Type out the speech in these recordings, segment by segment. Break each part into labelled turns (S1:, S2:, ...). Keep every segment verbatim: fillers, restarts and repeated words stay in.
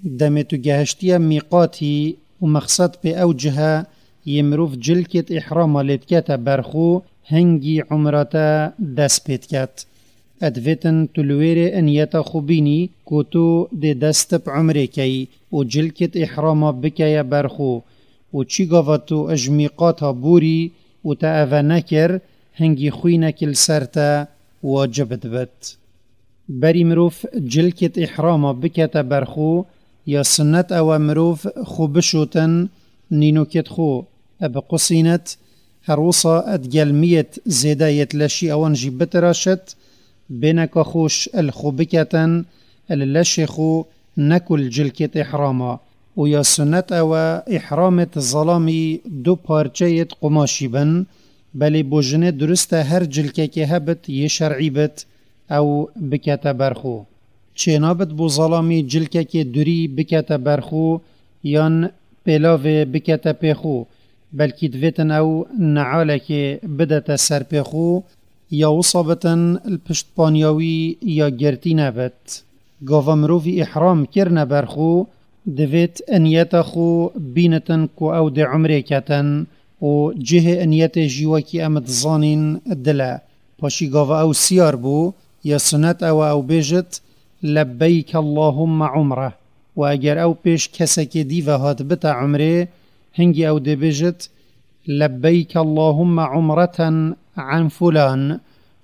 S1: Demê tu gehiştiye mîqatî û mexsed pê ew cihe yê mirov cilkêt îhrama lê dikete berxwe hingî umra te dest pê diket. Edvêtin tu li wêrê niyeta xwe bînî ku tu dê dest bi umrê keyî û cilkêt îhrama bikeye berxwe û çi gava tu ji mîqata borî û te eve nekir hingî xwînek li ser te wacib dibit. Berî mirov cilkêt îhrama bikete berxwe ya sunnet ew e mirov xwe bişotin nînokêt xwe biqusînet her wisa edgelmiyet zêde yêt leşî ewan jî bitiraşit bêneka xweş li xwe biketin li leşê xwe nekul cilkêt îhrama û ya sunnet ew e îhramêt zelamî du parçeyêt qumaşî bin belê bo jinê durist e her cilkekê hebit yê şer'î bit ew bikete berxwe. Çênabit bo zelamî cilkekê durî bikete berxwe yan pêlavê bikete pêxwe belkî divêtin ew nealekê bidete ser pêxwe ya wisa bitin li piştpaniya wî ya girtî nebit. Gava mirovî îhram kirine berxwe divêt niyeta xwe bînitin ku ew dê umrê ketin û cihê niyetê jî wekî em dizanîn dil e. Paşî gava ew siyar bû ya sunnet ew e ew bêjit لبیک اللهم عمره و eger ew pêş kesekê dî ve hat bite umrê hingî ew dê bêjit لبیک اللهم عمرة عن فلان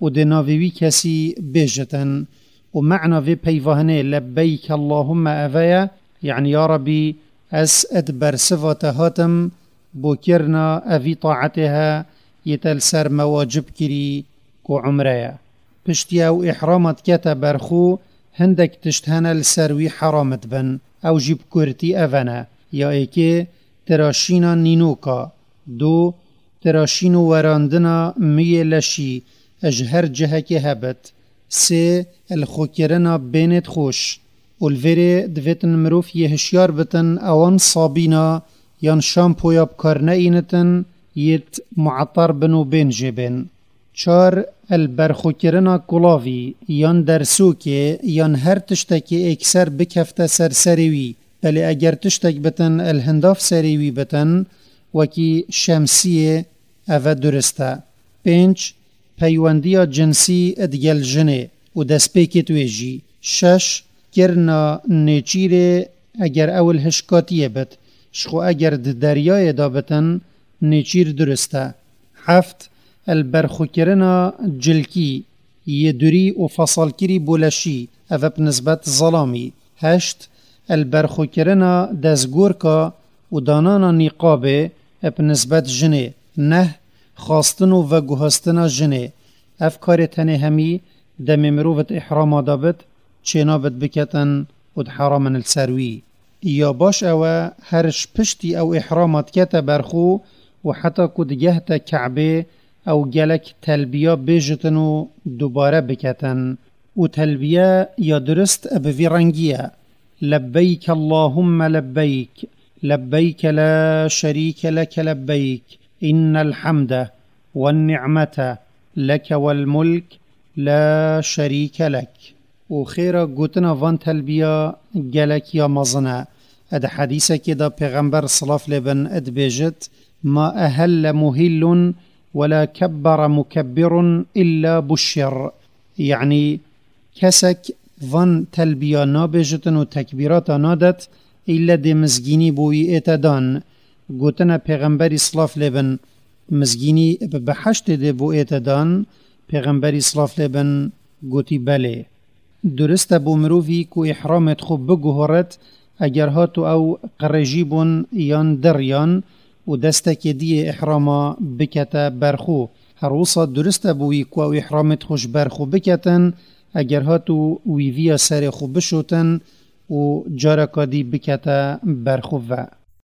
S1: û dê navê wî kesî bêjitin û me'na vê peyvahinê لبیک اللهم eve ye yani ya Rabbi ez ed bersiva te hatim bo kirina evî taetê he yê te li ser me wacib kirî ku umre ye. Piştî ew îhrama dikete berxwe hindek tişt hene li ser wî heram dibin ew jî bi kurtî ev ne ya êkê tiraşîna nînoka du tiraşîn û werandina miyê leşî ji her cihekê hebit sê li xwekirina bênê xweş û li vêrê divêtin mirov yê hişyar bitin ewan sabîna yan şampoya bi kar neînitin yêt mueter bin û bên jê bên. Çar el berxwekirina kulavî yan dersokê yan her tiştekê êkser bikefte ser serê wî belê eger tiştek bitin el hindav serê wî bitin wekî şemsiyê ev e durist e. Pênc peywendiya cinsî digel jinê û destpêkê wê jî. Şeş kirina nêçîrê eger ew li hişkatiyê bit ji xwe eger di deryayê de bitin nêçîr durist e. Heft el berxwekirina cilkî yê durî û fesalkirî bo leşî ev e bi nisbet zelamî. Heşt el berxwekirina destgorka û danana nîqabê e bi nisbet jinê. Neh xwastin û veguhastina jinê ev karê tenê hemî demê mirovet îhrama de bit çênabit biketin û diheramin li ser wî. Ya baş ew e her ji piştî ew îhrama dikete berxwe û heta ku digehte Ke'bê ew gelek telbiya bêjitin û dubare biketin û telbiye ya durist bi vî rengî ye لبیک اللهم لبیک لبیک لا شریک لک لبیک إن الحمد والنعمة لك والملك لا شریک لک. û xêra gotina van telbiya gelek ya mezin e. Ed hedîsekê de pêxember silav lê bin dibêjit ما أهل مهل ولا كبر مكبر إلا بشر يعني kesek van telbiya nabêjitin û tekbîrata nadet îlle dê mizgînî bo wî ête dan. Gotina pêxemberî silav lê bin mizgînî bi beheştê dê bo ête dan pêxemberî silav lê bin gotî belê. Durist e bo mirovî ku îhramê xwe biguhoret eger hat û ew qirêjî bûn yan deriyan û destekê diyê îhrama bikete berxwe. Her wisa durist e bo wî ku ew îhramê xwe ji berxwe biketin eger hat û wî viya serê xwe bişotin û careka dî bikete berxwe ve.